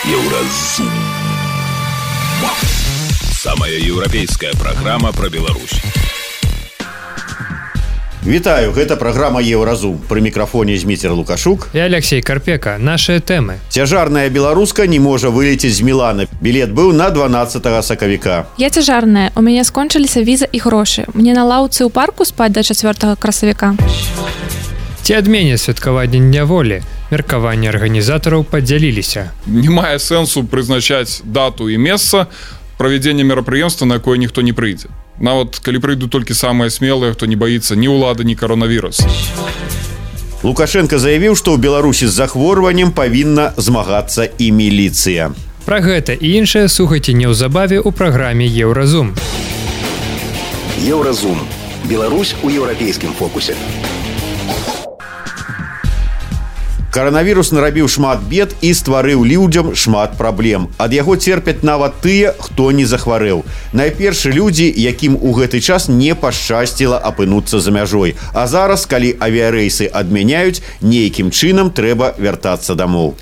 Еўразум. Самая еўрапейская праграма пра Беларусь. Вітаю, гэта праграма Еўразум. Пры мікрафоне Зміцер Лукашук і Алексей Карпека. Нашыя тэмы. Цяжарная беларуска не можа вылецець з Мілана. Білет быў на 12 сакавіка. Я цяжарная, у мяне скончыліся віза і грошы. Мне на лаўцы ў парку спаць да 4 красавіка. Ці адмене святкаванне Дня волі? Меркаванні арганізатараў падзяліліся. Не мае сэнсу прызначаць дату і месца правядзення мерапрыемства, на якое ніхто не прыйдзе. Нават калі прыйдуць толькі самыя смелыя, хто не баіцца ні ўлады, ні каронавірус. Лукашенко заявіў, што ў Беларусі з захворваннем павінна змагацца і міліцыя. Пра гэта і іншае слухайце неўзабаве ў праграме Еўразум. Еўразум. Беларусь у еўрапейскім фокусе. Каранавірус нарабіў шмат бед і стварыў людзям шмат праблем. Ад яго церпяць нават тыя, хто не захварэў. Найперш людзі, якім у гэты час не пашчасціла апынуцца за мяжой. А зараз, калі авіярэйсы адмяняюць, нейкім чынам трэба вяртацца дамоў.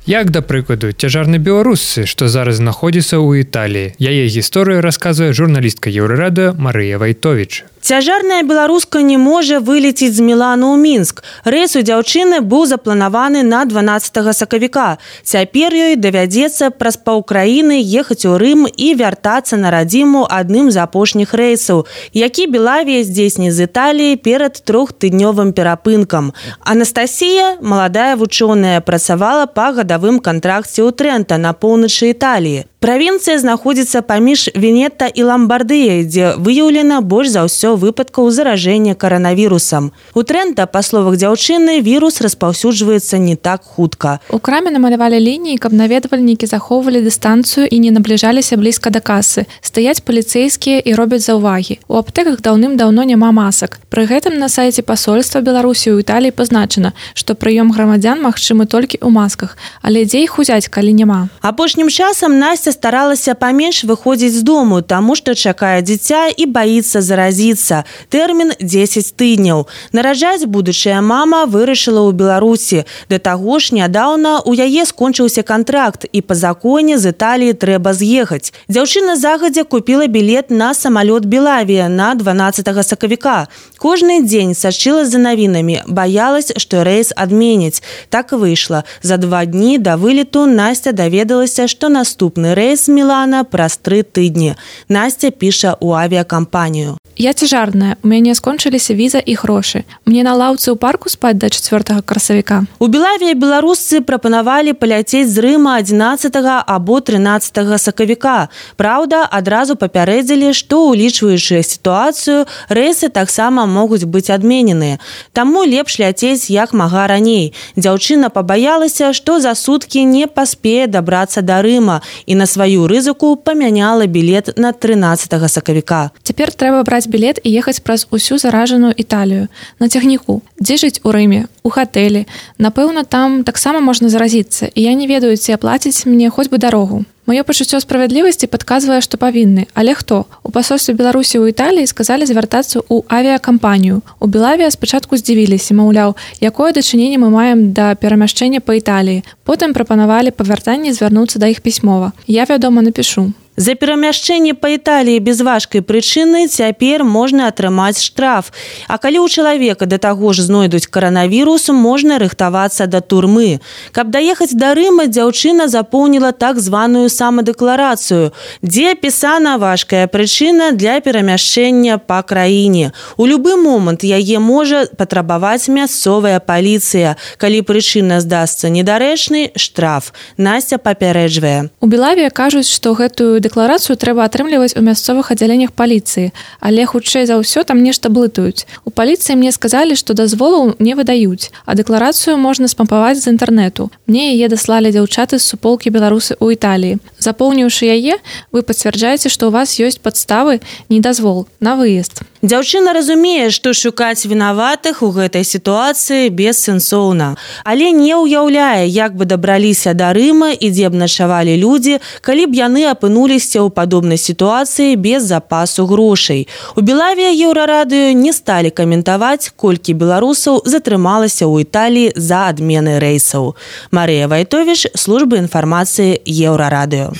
Як, да прыкладу, цяжарны беларусцы, што зараз знаходзіцца ў Італіі. Яе гісторыю расказвае журналістка Еўрарадыё Марыя Вайтовіч. Цяжарная беларуска не можа вылецець з Мілана ў Мінск. Рэйс у дзяўчыны быў запланаваны на 12 сакавіка. Цяпер ёй давядзецца праз паўкраіны ехаць у Рым і вяртацца на радзіму адным з апошніх рэйсаў, які Белавія здзейсніць з Італіі перад 3-тыднёвым перапынкам. Анастасія, маладая вучоная, працавала па гадавым кантракце ў Трэнта на поўначы Італіі. Правінцыя знаходзіцца паміж Венета і Ламбардыяй, дзе выяўлена больш за ўсё выпадкаў заражэння каранавірусам. У Трэнта, па словах дзяўчыны, вірус распаўсюджваецца не так хутка. У краме намалявалі лініі, каб наведвальнікі захоўвалі дыстанцыю і не набліжаліся блізка да касы. Стаяць паліцэйскія і робяць заўвагі. У аптэках даўным-даўно няма масак. Пры гэтым на сайце пасольства Беларусі ў Італіі пазначана, што прыём грамадзян магчымы толькі ў масках. Але дзе іх узяць, калі няма? Апошнім часам Настя старалася паменш выходзіць з дому, таму што чакае дзіця і баіцца заразіцца. Тэрмін 10 тыдняў. Нараджаць будучая мама вырашыла ў Беларусі. Да таго ж нядаўна у яе скончыўся кантракт і па законе з Італіі трэба з'ехаць. Дзяўчына загадзя купіла білет на самалёт Белавія на 12 сакавіка. Кожны дзень сачыла за навінамі, баялась, што рэйс адменяць. Так і выйшла. За 2 дні да вылету Настя даведалася, што наступны рэйс з Мілана праз 3 тыдні. Настя піша ў авіакампанію. Я цяжарная, у мяне скончыліся віза і грошы. Мне на лаўцы ў парку спаць да 4 красавіка. У Белавіі беларусцы прапанавалі паляцець з Рыма 11 або 13 сакавіка. Праўда, адразу папярэдзілі, што, улічваючы сітуацыю, рэйсы таксама могуць быць адмененыя. Таму лепш ляцець як мага раней. Дзяўчына пабаялася, што за суткі не паспее дабрацца да Рыма і на сваю рызыку памяняла білет на 13 сакавіка. Цяпер трэба браць білет і ехаць праз усю заражаную Італію. На цягніку. Дзе жыць у Рыме? У хатэлі. Напэўна, там таксама можна заразіцца, і я не ведаю, ці аплаціць мне хоць бы дарогу. Маё пачуццё справядлівасці падказвае, што павінны. Але хто? У пасольстве Беларусі ў Італіі сказалі звяртацца ў авіакампанію. У Белавія спачатку здзівіліся, маўляў, якое дачыненне мы маем да перамяшчэння па Італіі. Потым прапанавалі па вяртанні звярнуцца да іх пісьмова. Я, вядома, напішу. За перамяшчэнне па Італіі без важкай прычыны цяпер можна атрымаць штраф. А калі ў чалавека да таго ж знойдуць каранавірус, можна рыхтавацца да турмы. Каб даехаць да Рыма, дзяўчына запоўніла так званую самадэкларацыю, дзе апісана важкая прычына для перамяшчэння па краіне. У любы момант яе можа патрабаваць мясцовая паліцыя. Калі прычына здасца недарэчнай, штраф. Настя папярэджвае. У Белавіі кажуць, што гэтую дэкларацыю трэба атрымліваць у мясцовых аддзяленнях паліцыі, але хутчэй за ўсё там нешта блытаюць. У паліцыі мне сказалі, што дазволаў не выдаюць, а дэкларацыю можна спампаваць з інтэрнэту. Мне яе даслалі дзяўчаты з суполкі беларусы ў Італіі. Запоўніўшы яе, вы пацвярджаеце, што ў вас ёсць падставы не дазвол на выезд. Дзяўчына разумее, што шукаць вінаватых у гэтай сітуацыі бессэнсоўна, але не ўяўляе, як бы дабраліся да Рыма і дзе б начавалі людзі, калі б яны апынуліся апынуліся ў падобнай сітуацыі без запасу грошай. У Белавія Еўрарадыё не сталі каментаваць, колькі беларусаў затрымалася ў Італіі за адмены рэйсаў. Марыя Вайтовіч, служба інфармацыі Еўрарадыё.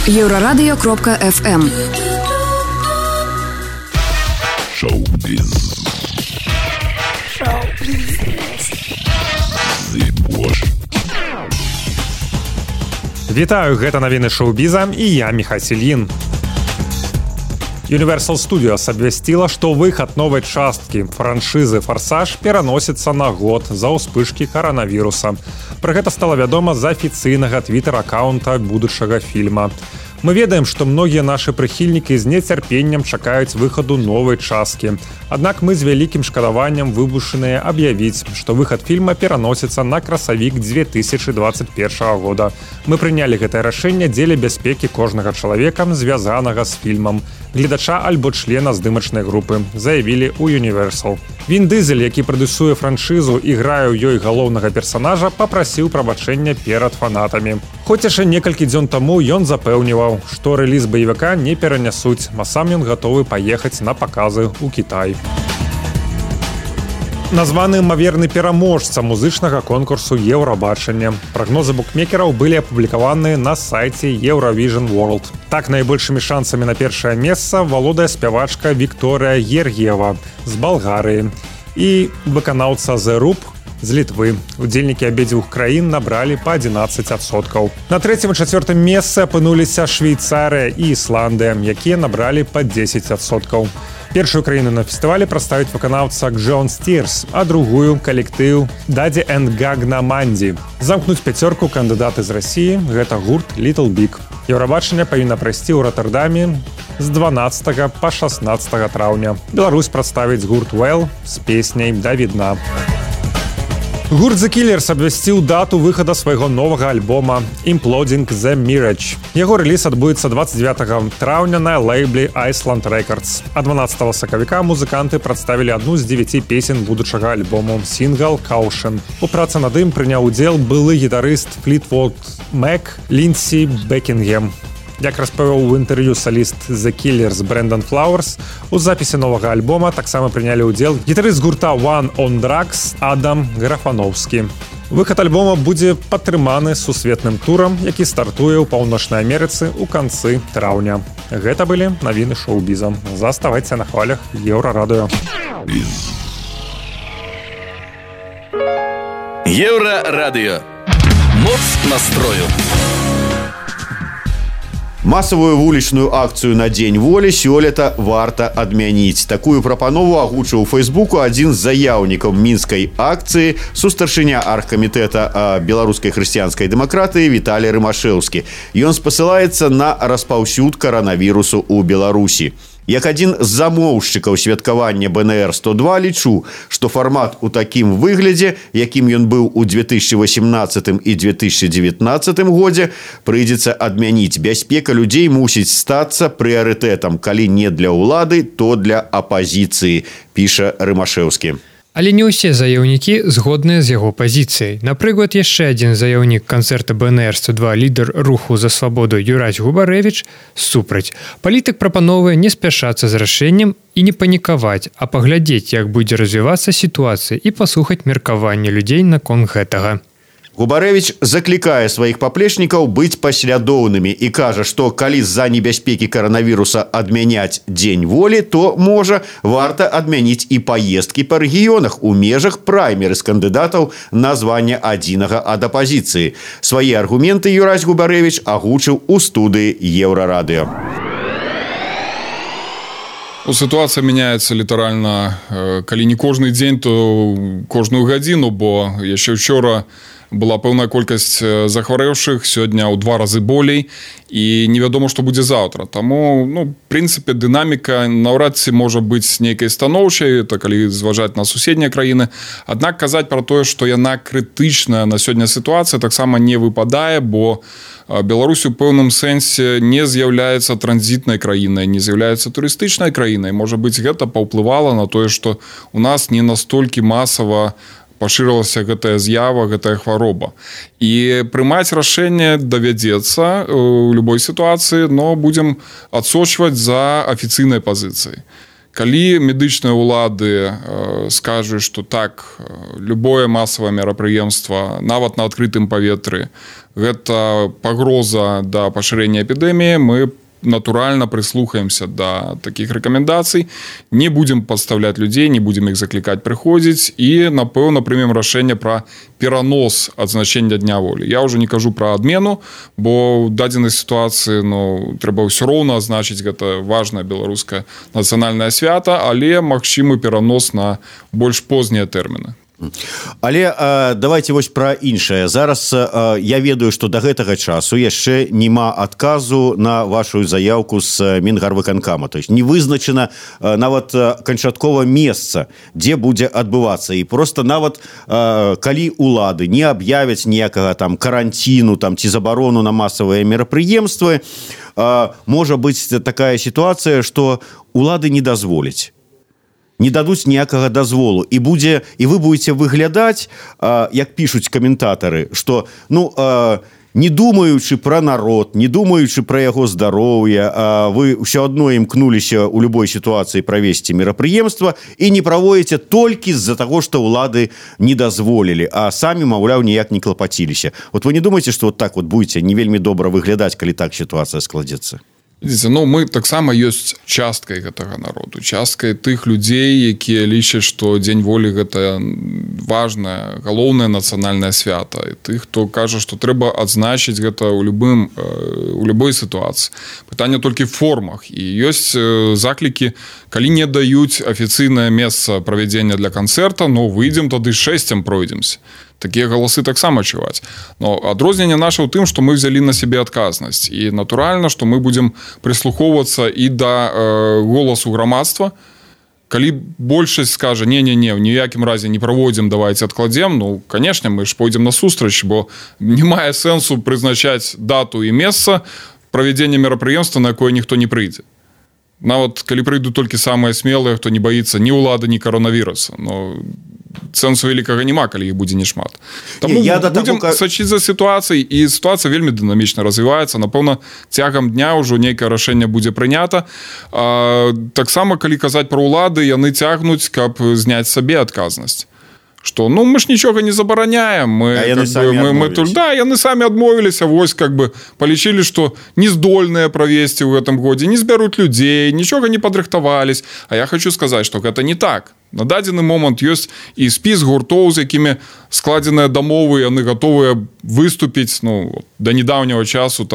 Еврорадио.FM. Шоу-биз. Вітаю, гэта навіны шоу-біза і я Міхась Ільін. Universal Studios абвясціла, што выхад новай часткі франшызы «Форсаж» пераносіцца на год за ўспышкі каранавіруса. Пра гэта стала вядома з афіцыйнага твітэр-акаунта будучага фільма. Мы ведаем, што многія нашы прыхільнікі з нецярпеннем чакаюць выхаду новай часткі. Аднак мы з вялікім шкадаваннем вымушаныя аб'явіць, што выхад фільма пераносіцца на красавік 2021 года. Мы прынялі гэтае рашэнне дзеля бяспекі кожнага чалавека, звязанага з фільмам, гледача альбо члена здымачнай групы, заявілі ў Universal. Він Дызель, які прадюсуе франшызу і грае ў ёй галоўнага персанажа, папрасіў прабачэння перад фанатамі. Хоць яшчэ некалькі дзён таму ён запэўніваў, што рэліз баевіка не перанясуць, а сам ён гатовы паехаць на паказы ў Кітай. Названы імаверны пераможца музычнага конкурсу «Еўрабачанне». Прагнозы букмекераў былі апублікаваны на сайце Eurovision World. Так, найбольшымі шансамі на першае месца валодае спявачка Вікторыя Гергіева з Балгарыі і выканаўца The Roop з Літвы. Удзельнікі абедзвюх краін набралі па 11%. На трэцім і чацвёртым месцы апынуліся Швейцарыя і Ісландыя, якія набралі па 10%. Першую краіну на фестывалі прадставіць выканаўца Джон Стирс, а другую – калектыў Даді энд Гагна Манді. Замкнуць пяцёрку кандыдаты з Расіі – гэта гурт Little Big. Еўрабачанне павінна прайсці ў Роттердаме з 12 па 16 траўня. Беларусь прадставіць гурт Well з песняй «Да відна». Гурт The Killers абвясціў дату выхада свайго новага альбома «Imploding the Mirage». Яго рэліз адбудзецца 29 траўня на лейбле Iceland Records. А 12 сакавіка музыканты прадставілі адну з 9 песен будучага альбому «Single Caution». У працы над ім прыняў удзел былы гітарыст Fleetwood Mac Лінсі Бекінгем. Як распавёў у інтэрв'ю саліст The Killers Брэндон Флауэрс, у запісе новага альбома таксама прынялі ўдзел гітарыст гурта One on Drugs Адам Графановскі. Выхад альбома будзе падтрыманы сусветным турам, які стартуе ў Паўночнай Амерыцы ў канцы траўня. Гэта былі навіны шоу-біза. Заставайце на хвалях Еўрарадыё. Еўрарадыё. Моц настрою. Масавую вулічную акцыю на Дзень волі сёлета варта адмяніць. Такую прапанову агучыў у Фейсбуку адзін з заяўнікаў мінскай акцыі, сустаршыня аргкамітэта беларускай хрысціянскай дэмакратыі Віталій Рымашэўскі. Ён спасылаецца на распаўсюд каранавірусу ў Беларусі. Як адзін з замоўшчыкаў святкавання БНР-102 лічу, што фармат у такім выглядзе, якім ён быў у 2018 і 2019 годзе, прыйдзецца адмяніць. Бяспека людзей мусіць стацца прыярытэтам, калі не для ўлады, то для апазіцыі, піша Рымашэўскі. Але не ўсе заяўнікі згодныя з яго пазіцыяй. Напрыклад, яшчэ адзін заяўнік канцэрта БНР-102 лідар руху за свабоду Юрась Губарэвіч супраць. Палітык прапановвае не спяшацца з рашэннем і не панікаваць, а паглядзець, як будзе развівацца сітуацыя і паслухаць меркаванне людзей наконт гэтага. Губарэвіч заклікае сваіх паплечнікаў быць паслядоўнымі і кажа, што калі з-за небяспекі каранавіруса адмяняць Дзень волі, то, можа, варта адмяніць і паездкі па рэгіёнах у межах праймерыз кандыдатаў на званне адзінага ад апазіцыі. Свае аргументы Юрась Губарэвіч агучыў у студыі Еўрарадыё. Ситуация меняется літаральна, калі не кожны дзень, то кожную гадзіну, бо яшчэ учора была пэўная колькасць захварэўшых, сёння ў 2 разы болей, і невядома, што будзе заўтра. Таму, в прынцыпе, дынаміка наўрад ці можа быць нейкай станоўчай, это калі зважаць на суседнія краіны. Аднак казаць пра тое, што яна крытычная на сёння сітуацыя, таксама не выпадае, бо Беларусь у пэўным сэнсе не з'яўляецца транзітнай краінай, не з'яўляецца турыстычнай краінай. Можа быць, гэта паўплывала на тое, што у нас не настолькі масава пашырылася гэтая з'ява, гэтая хвароба. І прымаць рашэнне давядзецца ў любой сітуацыі, но будзем адсочваць за афіцыйнай пазіцыяй. Калі медычныя ўлады скажуць, што так, любое масавае мерапрыемства, нават на адкрытым паветры, гэта пагроза да пашырэння эпідэміі, мы натуральна прыслухаемся да такіх рэкамендацый, не будзем падставляць людзей, не будзем іх заклікаць прыходзіць і, напэўна, прымем рашэнне пра перанос адзначэння Дня волі. Я ўжо не кажу пра адмену, бо ў дадзенай сітуацыі трэба ўсё роўна азначыць, гэта важнае беларускае нацыянальнае свята, але магчымы перанос на больш познія тэрміны. Але давайте вось пра іншае. Зараз я ведаю, што да гэтага часу яшчэ няма адказу на вашу заявку з Мінгарвыканкама. То есть не вызначана нават канчаткова месца, дзе будзе адбывацца. І просто нават калі улады не аб'явяць ніякага там каранціну там, ці забарону на масавыя мерапрыемствы, можа быць такая сітуацыя, што улады не дазволяць. Не дадуць ніякага дазволу і вы будете выглядаць, як пішуць каментатары, што не думаючы пра народ, не думаючы пра яго здароўе, вы ўсё адно імкнуліся ў любой сітуацыі правесці мерапрыемства і не праводзіце толькі з-за таго, што ўлады не дазволілі, а самі, маўляў, ніяк не клапаціліся. Вот вы не думаеце, што вот так вот будете не вельмі добра выглядаць, калі так сітуацыя складзецца? Мы таксама ёсць часткай гэтага народу, часткай тых людзей, якія лічаць, што Дзень волі гэта важнае, галоўнае нацыянальнае свята, і тых, хто кажа, што трэба адзначыць гэта ў любой сітуацыі. Пытанне толькі в формах. І ёсць заклікі, калі не даюць афіцыйнае месца правядзення для канцэрта, выйдзем тады 6 пройдземся. Такія галасы таксама чуваць. Но адрозненне наша ў тым, што мы взялі на сябе адказнасць. І натуральна, што мы будзем прыслухоўвацца і да голасу грамадства. Калі большасць скажа, не-не-не, в ніякім разе не праводзім, давайте адкладзем, канешне, мы ж пойдзем насустрач, бо не мае сэнсу прызначаць дату і месца правядзення мерапрыемства, на якое ніхто не прыйдзе. Нават калі прыйдуць толькі самыя смелыя, хто не баіцца ні ўлады, ні каронавіруса. Сэнсу вялікага няма, калі іх будзе немат. Таму будзем сачыць за сітуацыяй, і сітуацыя вельмі дынамічна развіваецца. Напэўна, цягам дня ўжо нейкае рашэнне будзе прынята. Таксама, калі казаць пра ўлады, яны цягнуць, каб зняць сабе адказнасць. Што, мы ж нічога не забараняем. Яны самі адмовіліся, вось, палічылі, што не здольныя правесці ў гэтым годзе, не збяруць людзей, нічога не падрыхтавались. А я хочу сказаць, што гэта не так. На дадзены момант ёсць і спіс гуртоў, з якімі складзеныя дамовы, яны гатовыя выступіць, да недаўняга часу,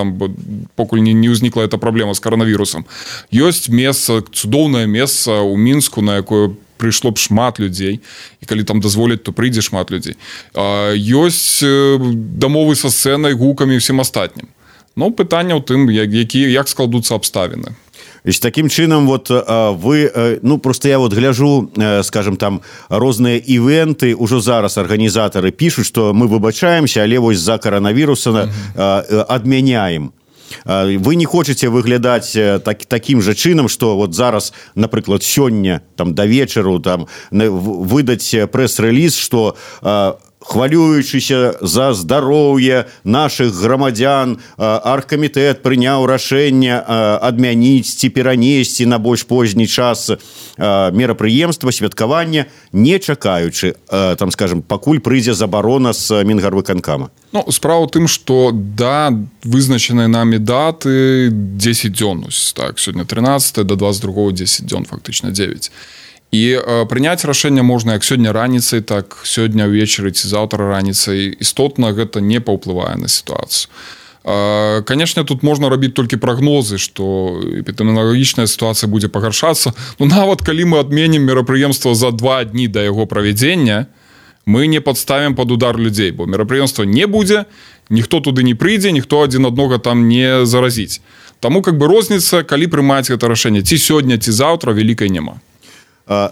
покуль не ўзнікла эта праблема з каранавірусам. Ёсць месца, цудоўнае месца ў Мінску, на якое прыйшло б шмат людзей, і калі там дазволяць, то прыйдзе шмат людзей. Ёсць дамовы са сцэнай, гукамі і ўсім астатнім. Пытанне ў тым, як складуцца абставіны. Таким чынам, вы, просто я гляжу, скажем, там розныя івенты, ужо зараз арганізатары пішуць, што мы выбачаемся, але вось за каранавіруса адмяняем. Вы не хочаце выглядаць такім жа чынам, што зараз, напрыклад, сёння да вечару выдаць прэс-рэліз, што хвалюючыся за здароўе нашых грамадзян, аргкамітэт прыняў рашэнне адмяніць ці перанесці на больш позні час мерапрыемства, святкавання, не чакаючы, скажем, пакуль прыйдзе забарона з Мінгарвыканкама. Справа ў тым, што да вызначанай намі даты 10 дзён, сёння 13, до 22 10 дзён, фактычна 9. І прыняць рашэнне можна як сёння раніцай, так сёння ўвечары ці заўтра раніцай. Істотна гэта не паўплывае на сітуацыю. Канешне, тут можна рабіць толькі прагнозы, што эпідэміялагічная сітуацыя будзе пагаршацца. Нават калі мы адменім мерапрыемства за 2 дні да яго правядзення, мы не падставім пад удар людзей, бо мерапрыемства не будзе, ніхто туды не прыйдзе, ніхто адзін аднога там не заразіць. Таму розніца, калі прымаць гэта рашэнне, ці сёння, ці заўтра, вялікай няма.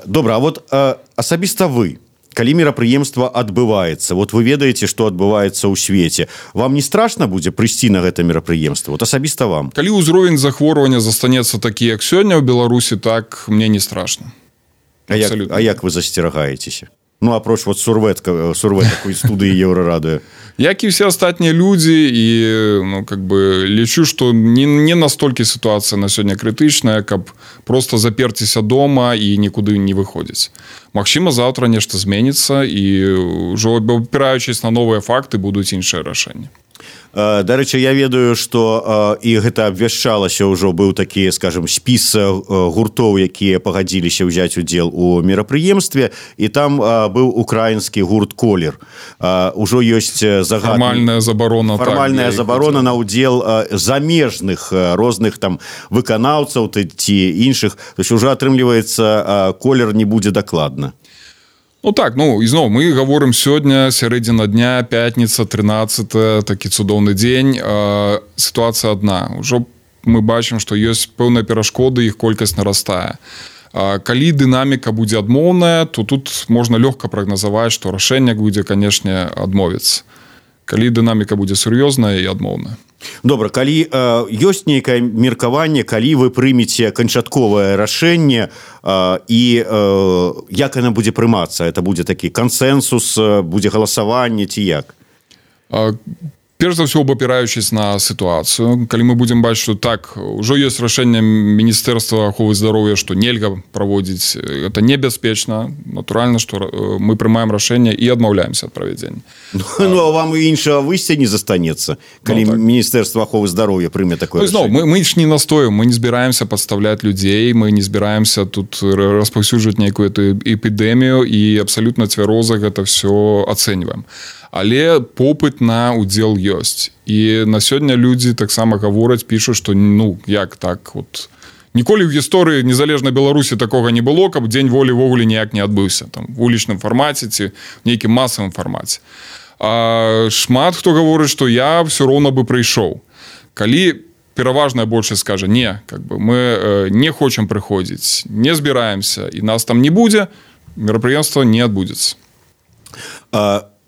Добра, а асабіста вы, калі мерапрыемства адбываецца, вы ведаеце, што адбываецца ў свеце, вам не страшна будзе прыйсці на гэта мерапрыемства? Асабіста вам. Калі ўзровень захворвання застанецца такі, як сёння ў Беларусі, так мне не страшна. А як вы засцерагаецеся? ну апроч вот сурветакой студыі Еўрарадыё? Як і все астатнія людзі, і ну, как бы лічу, што не настолькі сітуацыя на сёння крытычная, каб просто заперціся дома і нікуды не выходзіць. Магчыма, заўтра нешта зменіцца, і ўжо опіраючись на новыя факты, будуць іншыя рашэнні. Дарэчы, я ведаю, што і гэта абвяшчалася ўжо, быў такі, скажем, спіс гуртоў, якія пагадзіліся ўзяць удзел у мерапрыемстве, і там быў украінскі гурт «Колер». Ужо ёсць загад... Фармальная забарона на ўдзел замежных розных там выканаўцаў ці іншых. То есть уже атрымліваецца, «Колер» не будзе дакладна. Ну так, ну ізноў мы гаворым сёння сярэдзіна дня, пятніца, 13, такі цудоўны дзень. Сітуацыя адна. Ужо мы бачым, што ёсць пэўныя перашкоды, іх колькасць нарастае. Калі дынаміка будзе адмоўная, то тут можна лёгка прагназаваць, што рашэнне будзе, канешне, адмовіцца. Калі дынаміка будзе сур'ёзная і адмоўная. Добра, калі ёсць нейкае меркаванне, калі вы прымеце канчатковае рашэнне і як яно будзе прымацца? Это будзе такі кансэнсус, будзе галасаванне ці як? Перш за ўсё, абапіраючись на сітуацыю, калі мы будзем бачыць, што так, ужо ёсць рашэнне Міністэрства аховы здароўя, што нельга праводзіць, это небяспечна, натуральна, што мы прымаем рашэнне і адмаўляемся ад правядзення. Ну, а вам і іншага выйсця не застанецца, калі Міністэрства аховы здароўя прыме такое рашэнне. Мы ж не настоім, мы не збіраемся падставляць людзей, мы не збіраемся тут распаўсюджваць нейкую эпідэмію і абсалютна цвяроза гэта ўсё ацэньваем. Але попыт на удзел ёсць. І на сёння людзі таксама гавораць, пішуць, што ну, як так, от ніколі ў гісторыі незалежнай Беларусі такога не было, каб дзень волі ввогуле ніяк не адбыўся, там, в улічным фармаце ці в нейкім масавым фармаце. А шмат хто гаворыць, што я ўсё роўна бы прыйшоў. Калі пераважная большасць скажа, не, как бы, мы не хочам прыходзіць, не збіраемся, і нас там не будзе, мерапрыемства не адбудзецца.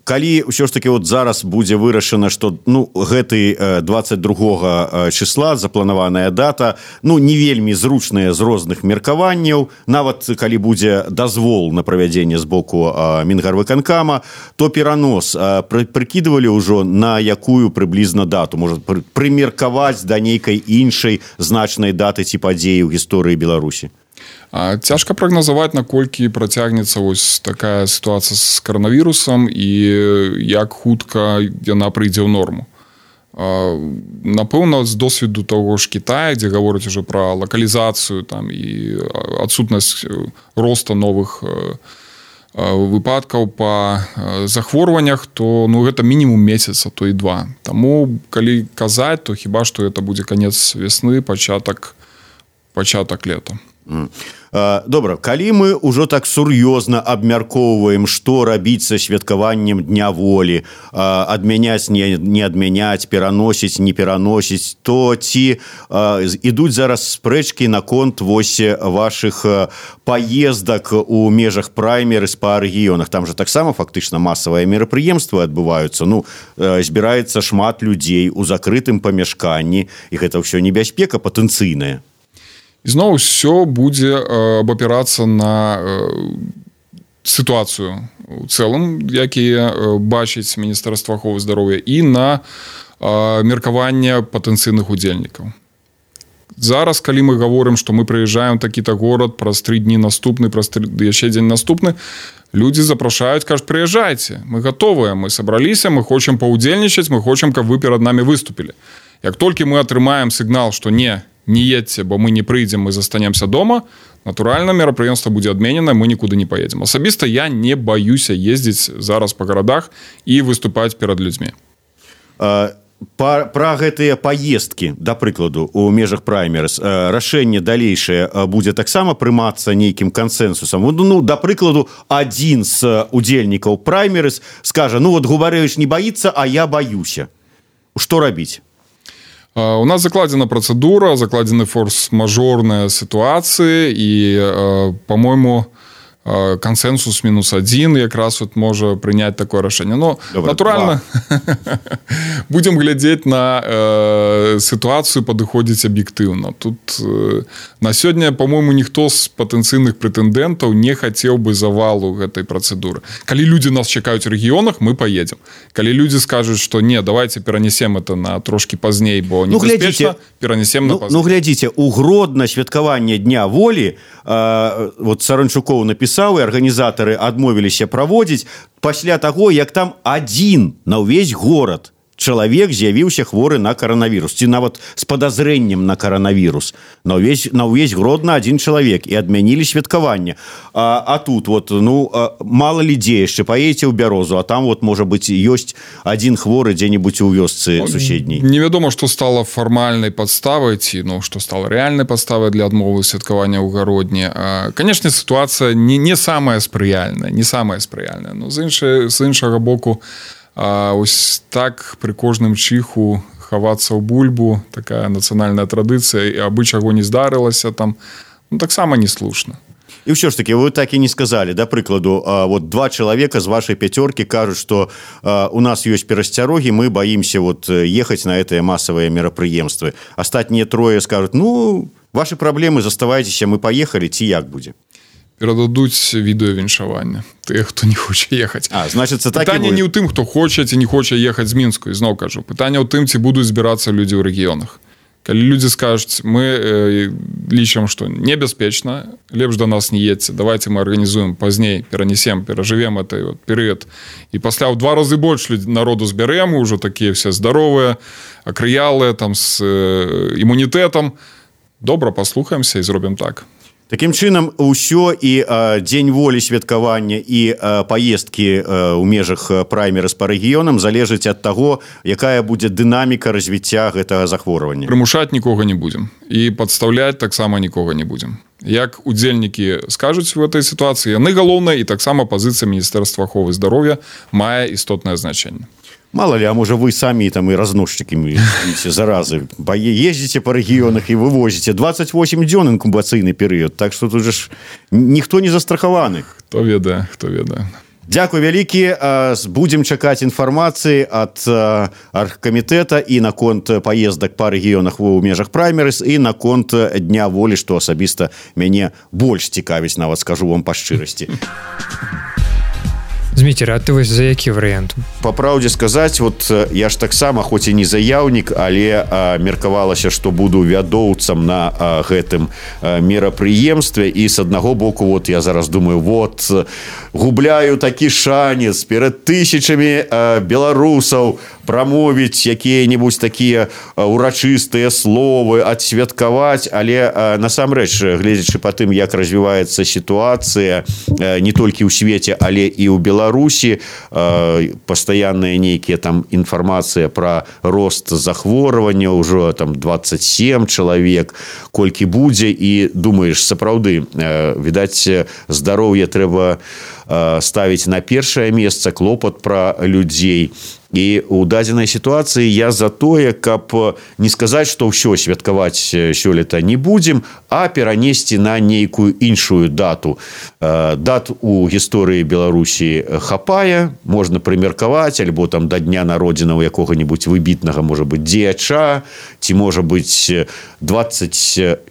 Калі ўсё ж таки вот зараз будзе вырашана, што ну, гэты 22 числа запланаваная дата, ну, не вельмі зручная з розных меркаванняў, нават калі будзе дазвол на правядзенне з боку Мінгарвыканкама, то перанос прыкідывалі ўжо на якую прыблізна дату, можа прымеркаваць да нейкай іншай значнай даты ці падзеі ў гісторыі Беларусі? Цяжка прагназаваць, наколькі працягнецца вось такая сітуацыя з каранавірусам і як хутка яна прыйдзе ў норму. Напэўна, з досведу таго ж Китая, дзе гавораць ужо пра лакалізацыю там, і адсутнасць роста новых выпадкаў па захворваннях, то ну, гэта мінімум месяца, то і 2. Таму, калі казаць, то хіба што гэта будзе канец весны, пачатак лета. Добра, калі мы ўжо так сур'ёзна абмяркоўваем, што рабіць са святкаваннем Дня волі, адмяняць, не адмяняць, пераносіць, не пераносіць, то ці ідуць зараз спрэчкі наконт вось вашых паездак у межах праймерыс па рэгіёнах? Там жа таксама фактычна масавыя мерапрыемствы адбываюцца. Ну, збіраецца шмат людзей у закрытым памяшканні, і гэта ўсё небяспека патэнцыйная. Зноў усё будзе абапірацца на сітуацыю у цэлым, якія бачыць Міністэрства аховы здароўя, і на меркаванне патэнцыйных удзельнікаў. Зараз, калі мы гаворым, што мы прыязджаем такі-то горад, праз 3 дні наступны, праз яшчэ дзень наступны, людзі запрашаюць, кажуць, прыязджайце, мы гатовыя, мы сабраліся, мы хочам паўдзельнічаць, мы хочам, каб вы перад намі выступілі. Як толькі мы атрымаем сігнал, што не едьце, бо мы не прыйдзем, мы застанемся дома, натуральна, мерапрыемства будзе адменена, мы нікуды не поедзем. Асабіста я не баюся ездзіць зараз па гарадах і выступаць перад людзьмі. Пра гэтыя паездкі, да прыкладу, у межах праймерыс, рашэнне далейшае будзе таксама прымацца нейкім кансэнсусам. Ну, да прыкладу, адзін з удзельнікаў праймерыс скажа, ну вот Губарэвіч не баіцца, а я баюся. Што рабіць? У нас закладзена працэдура, закладзены форс-мажорныя сітуацыі і, па-мойму, кансенсус -1 якраз вот можа прыняць такое рашэнне. Но натуральна будзем глядзець на сітуацыю, падыходзіць аб'ектыўна. Тут на сёння, по-моему, ніхто з патэнцыйных прэтэндэнтаў не хацеў бы завалу гэтай працэдуры. Калі людзі нас чакаюць у рэгіёнах, мы паедзем. Калі людзі скажуць, што не, давайте перанесем это на трошки пазней, бо небяспечна, перанесем на пазней. Ну, глядзіце, у Гродна святкаванне Дня волі, вот Саранчукоў напісаў, і арганізатары адмовіліся праводзіць пасля таго, як там адзін на ўвесь горад чалавек з'явіўся хворы на каранавірус, ці нават з падазрэннем на каранавірус. На ўвесь Гродна адзін чалавек, і адмянілі святкаванне. А тут вот, ну, мала людзей яшчэ, паедзеце ў Бярозу, а там вот, можа быць, ёсць адзін хворы дзе-небудзь у вёсцы суседняй. Невядома, што стала фармальнай падставай, ці, ну, што стала рэальнай падставай для адмовы святкавання ў Гародні. Канешне, сітуацыя не самая спрыяльная, но з іншага боку, ось так пры кожным чыху хавацца ў бульбу, такая нацыянальная традыцыя, і абы чаго не здарылася там, ну, таксама не слушна. І ўсё ж таки, вы так і не сказалі, да прыкладу, вот 2 чалавека з вашай пяцёркі кажуць, што у нас ёсць перасцярогі, мы баімся вот ехаць на гэтыя масавыя мерапрыемствы. Астатнія 3 скажуць, ну, ваши праблемы, заставайцеся, мы паехалі, ці як будзе? Перададуць відэавіншаванне тыя, хто не хоча ехаць. Значыцца, так пытанне не ў тым, хто хоча ці не хоча ехаць з Мінску, зноў кажу. Пытанне ў тым, ці будуць збірацца людзі ў рэгіёнах. Калі людзі скажуць, мы лічым, што небяспечна, лепш да нас не едзьце, давайте мы арганізуем пазней, перанесем, перажывем гэты вот перыяд. І пасля ў 2 разы больш народу збярэм, ужо такія все здаровыя, акрыялыя, там з імунітэтам. Добра, паслухаемся і зробім так. Такім чынам, усё і Дзень волі святкавання і паездкі ў межах праймерыз па рэгіёнам залежыць ад таго, якая будзе дынаміка развіцця гэтага захворвання. Прымушаць нікога не будзем. І падстаўляць таксама нікога не будзем. Як удзельнікі скажуць у гэтай сітуацыі, яны галоўныя, і таксама пазіцыя Міністэрства аховы здароўя мае істотнае значэнне. Мало ли, а может вы сами там и разносчиками заразы ездите по регионах и вывозите. 28 дзён инкубацыйны перыяд, так что тут же никто не застрахованы. Хто ведае. Дзякуй вялікі, будзем чакаць інфармацыі ад аргкамітэта і наконт паездак па рэгіёнах у межах праймерыз і наконт Дня волі, што асабіста мяне больш цікавіць, нават скажу вам па шчырасці. Зміцер, а ты вось за які варыянт? Па праўдзе сказаць, вот я ж таксама, хоць і не заяўнік, але меркавалася, што буду вядоўцам на гэтым мерапрыемстве, і з аднаго боку, вот я зараз думаю, вот губляю такі шанец перад тысячамі беларусаў прамовіць якія-небудзь такія урачыстыя словы, адсвяткаваць, але насамрэч, гледзячы па тым, як развіваецца сітуацыя не толькі ў свеце, але і ў Беларусі, пастаянная нейкія там інфармацыя пра рост захворвання, ўжо там 27 чалавек, колькі будзе, і думаеш, сапраўды, відаць, здароўе трэба ставіць на першае месца, клопат пра людзей. І у дадзенай сітуацыі я за тое, каб не сказаць, што ўсё святкаваць сёлета не будзем, а перанесці на нейкую іншую дату. Дат у гісторыі Беларусі хапае, можна прымеркаваць, альбо там да дня народзінаў якога-небудзь выбітнага, можа быць, дзеяча, ці можа быць 27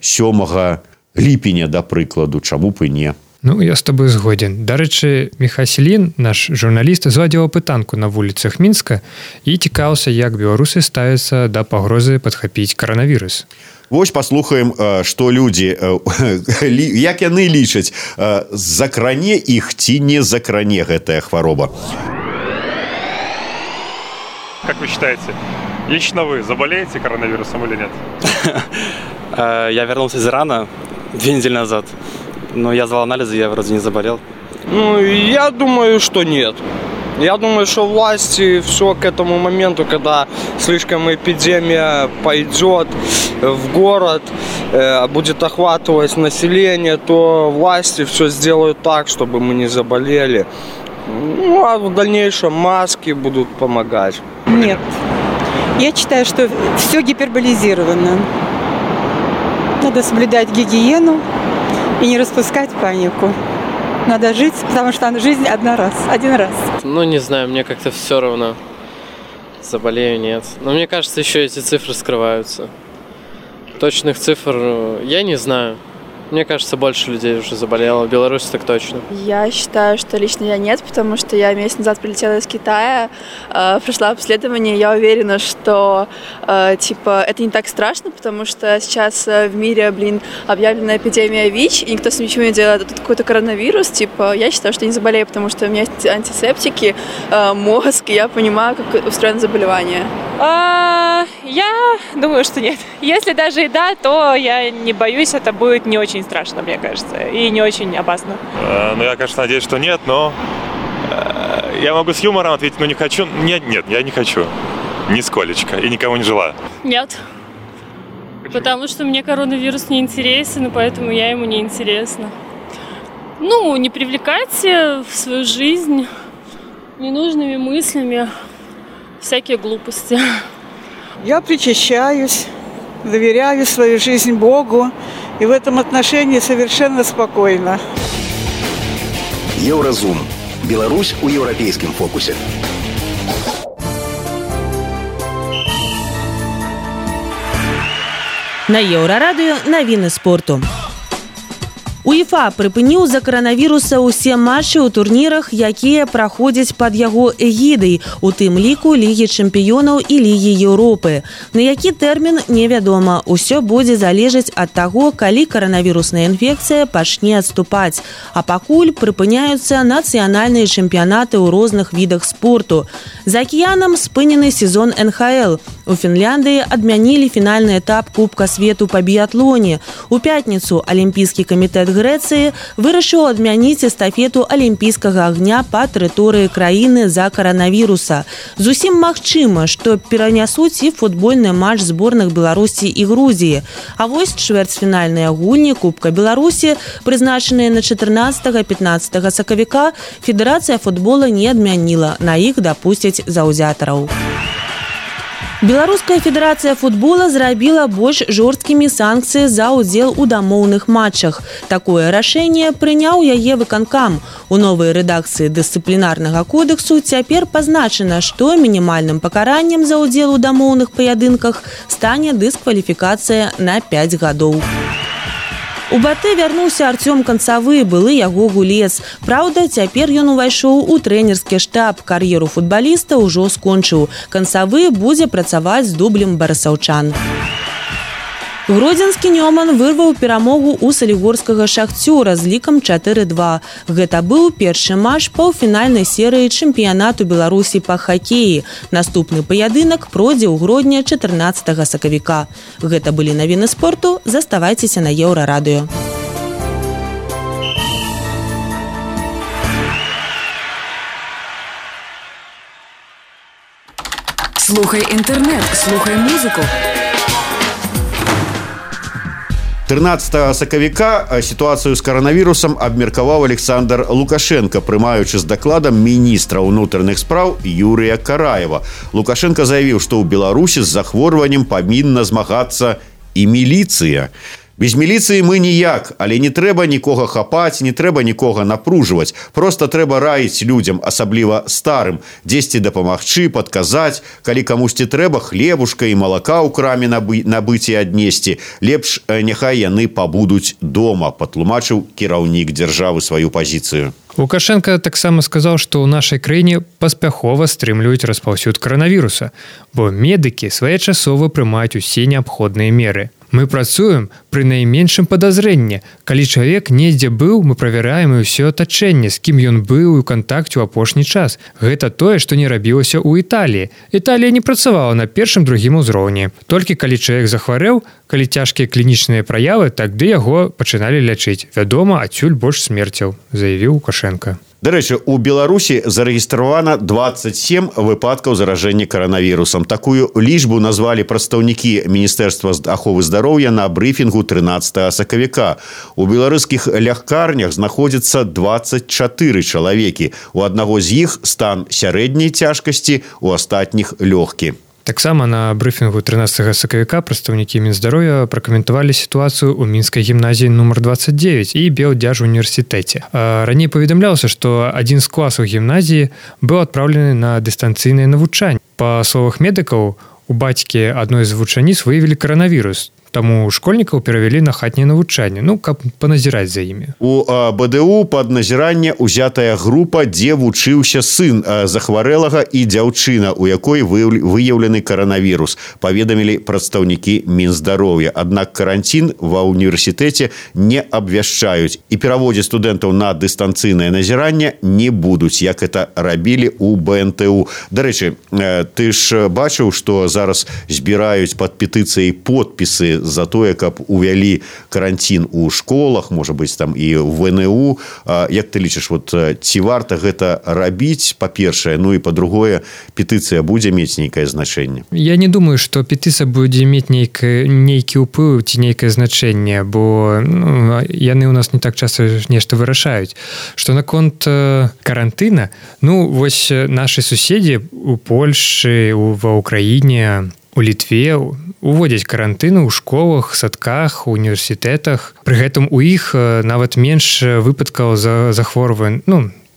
ліпеня, да прыкладу, чаму б і не. Ну, я з тобой згоден. Дарэчы, Міхась Лін, наш журналіст, зладзіў апытанку на вуліцах Мінска і цікаўся, як беларусы ставяцца да пагрозы падхапіць каранавірус. Вось паслухаем, што людзі, як яны лічаць, закране іх ці не закране гэтая хвароба. Как вы считаете, лично вы заболеете коронавирусом или нет? Я вернулся из Ирана 2 недели назад. Но я сдал анализы, я вроде не заболел. Ну, я думаю, что нет. Я думаю, что власти все к этому моменту, когда слишком эпидемия пойдет в город, будет охватывать население, то власти все сделают так, чтобы мы не заболели. Ну, а в дальнейшем маски будут помогать. Нет. Я считаю, что все гиперболизировано. Надо соблюдать гигиену и не распускать панику. Надо жить, потому что жизнь один раз. Ну, не знаю, мне как-то все равно. Заболею, нет. Но мне кажется, еще эти цифры скрываются. Точных цифр я не знаю. Мне кажется, больше людей уже заболело. В Беларуси так точно. Я считаю, что лично я нет, потому что я месяц назад прилетела из Китая, прошла обследование. Я уверена, что это не так страшно, потому что сейчас в мире, объявлена эпидемия ВИЧ, и никто с ничего не делает. Тут какой-то коронавирус. Я считаю, что не заболею, потому что у меня есть антисептики, мозг, и я понимаю, как устроено заболевание. Я думаю, что нет. Если даже и да, то я не боюсь, это будет не очень страшно, мне кажется, и не очень опасно. Я, конечно, надеюсь, что нет, но я могу с юмором ответить, но не хочу. Нет, я не хочу. Нисколечко. И никому не желаю. Нет. Потому что мне коронавирус не интересен, и поэтому я ему не интересна. Не привлекайте в свою жизнь ненужными мыслями всякие глупости. Я причащаюсь, доверяю свою жизнь Богу, и в этом отношении совершенно спокойно. Еўразум. Беларусь у еўрапейскім фокусе. На Еўрарадыё навіны спорту. УЕФА прыпыніў з-за каранавіруса ўсе матчы ў турнірах, якія праходзяць пад яго эгідай, у тым ліку Лігі чэмпіёнаў і Лігі Еўропы. На які тэрмін невядома. Усё будзе залежаць ад таго, калі каранавірусная інфекцыя пачне адступаць. А пакуль прыпыняюцца нацыянальныя чэмпіянаты ў розных відах спорту. За акіянам спынены сезон НХЛ. У Фінляндыі адмянілі фінальны этап Кубка свету па біятлоне. У пятніцу Алімпійскі камітэт Грэцыі вырашыў адмяніць эстафету алімпійскага агня па тэрыторыі краіны з-за каранавіруса. Зусім магчыма, што перанясуць і футбольны матч зборных Беларусі і Грузіі. А вось чвэрцьфінальныя гульні Кубка Беларусі, прызначаныя на 14-15 сакавіка, Федэрацыя футбола не адмяніла. На іх дапусцяць заўзятараў. Беларуская федэрацыя футбола зрабіла больш жорсткімі санкцыі за ўдзел у дамоўных матчах. Такое рашэнне прыняў яе выканкам. У новай рэдакцыі дысцыплінарнага кодексу цяпер пазначана, што мінімальным пакараннем за ўдзел у дамоўных паядынках стане дыскваліфікацыя на 5 гадоў. У Батэ вярнуўся Артём Канцавы, былы яго гулец. Праўда, цяпер ён увайшоў у трэнерскі штаб. Кар'еру футбаліста ўжо скончыў. Канцавы будзе працаваць з дублем барысаўчан. Гродзенскі Нёман вырваў перамогу ў салігорскага Шахцёра з лікам 4-2. Гэта быў першы матч паўфінальнай серыі чэмпіянату Беларусі па хакеі. Наступны паядынак пройдзе ў Гродні 14 сакавіка. Гэта былі навіны спорту. Заставайцеся на Еўрарадыё. Слухай інтэрнэт, слухай музыку. 13 сакавіка сітуацыю з каранавірусам абмеркаваў Александр Лукашенко, прымаючы з дакладам міністра ўнутраных спраў Юрыя Караева. Лукашенко заявіў, што ў Беларусі з захворваннем павінна змагацца і міліцыя. Без міліцыі мы ніяк, але не трэба нікога хапаць, не трэба нікога напружваць. Проста трэба раіць людзям, асабліва старым, дзесьці дапамагчы, падказаць, калі камусьці трэба хлебушка і малака ў краме набыць і аднесці. Лепш няхай яны пабудуць дома, патлумачыў кіраўнік дзяржавы сваю пазіцыю. Лукашенко таксама сказаў, што ў нашай краіне паспяхова стрымліваюць распаўсюд каранавіруса, бо медыкі своечасова прымаюць усе неабходныя меры. Мы працуем пры найменшым падазрэнні. Калі чалавек недзе быў, мы правяраем і ўсё атачэнне, з кім ён быў у кантакце ў апошні час. Гэта тое, што не рабілася ў Італіі. Італія не працавала на першым-другім узроўні. Толькі калі чалавек захварэў, калі цяжкія клінічныя праявы, тады яго пачыналі лячыць. Вядома, адсюль больш смерцяў, заявіў Лукашенко. Дарэчы, у Беларусі зарэгістравана 27 выпадкаў заражэння каранавірусам. Такую лічбу назвалі прадстаўнікі Міністэрства аховы здароўя на брыфінгу 13 сакавіка. У беларускіх лякарнях знаходзіцца 24 чалавекі. У аднаго з іх стан сярэдняй цяжкасці, у астатніх лёгкі. Таксама на брыфінгу 13 сакавіка прадстаўнікі Мінздароўя пракаментавалі сітуацыю ў мінскай гімназіі нумар 29 і Белдзяржуніверсітэце. Раней паведамлялася, што адзін з класаў гімназіі быў адпраўлены на дыстанцыйнае навучанне. Па словах медыкаў, у бацькі адной з вучаніц выявілі каранавірус, таму школьнікаў перавялі на хатняе навучанне, каб паназіраць за імі. У БДУ пад назіранне ўзятая група, дзе вучыўся сын захварэлага і дзяўчына, у якой выяўлены каранавірус, паведамілі прадстаўнікі Мінздароўя. Аднак каранцін ва ўніверсітэце не абвяшчаюць і пераводзіць студэнтаў на дыстанцыйнае назіранне не будуць, як это рабілі ў БНТУ. Дарэчы, ты ж бачыў, што зараз збіраюць пад петыцыяй подпісы за тое, каб увялі каранцін у школах, можа быць, там і в ВНУ. Як ты лічыш, ці варта гэта рабіць, па-першае, і па-другое, петыцыя будзе мець нейкае значэнне? Я не думаю, што петыцыя будзе мець нейкі ўплыў ці нейкае значэнне, бо яны ў нас не так часта нешта вырашаюць. Што наконт карантына, вось нашы суседзі у Польшы, ва Ўкраіне, у Літве уводзяць карантыны ў школах, садках, універсітэтах. Пры гэтым у іх нават менш выпадкаў захворвань,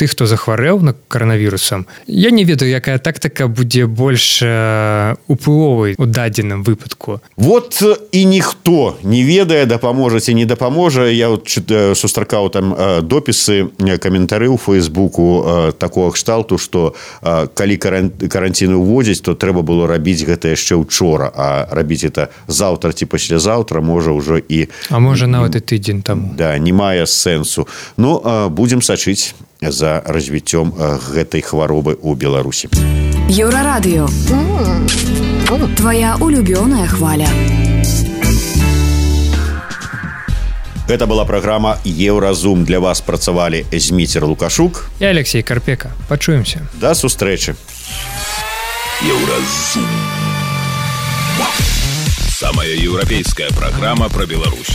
тых, хто захварэў на каранавірусам. Я не ведаю, якая тактыка будзе больш уплывовай у дадзеным выпадку. І ніхто не ведае, дапаможа ці не дапаможа. Я сустракаў там допісы, каментары ў Фейсбуку такога кшталту, што калі каранціны ўводзяць, то трэба было рабіць гэта яшчэ учора, а рабіць это заўтра ці паслязаўтра можа ўжо і... А можа нават і тыдзень таму. Да, не мае сэнсу. Будзем сачыць за развіццём гэтай хваробы ў Беларусі. Еўрарадыё. Твоя улюбёная хваля. Гэта была праграма «Еўразум». Для вас працавалі Зміцер Лукашук і Алексей Карпека. Пачуемся. Да сустрэчы. Еўразум. Самая еўрапейская праграма пра Беларусь.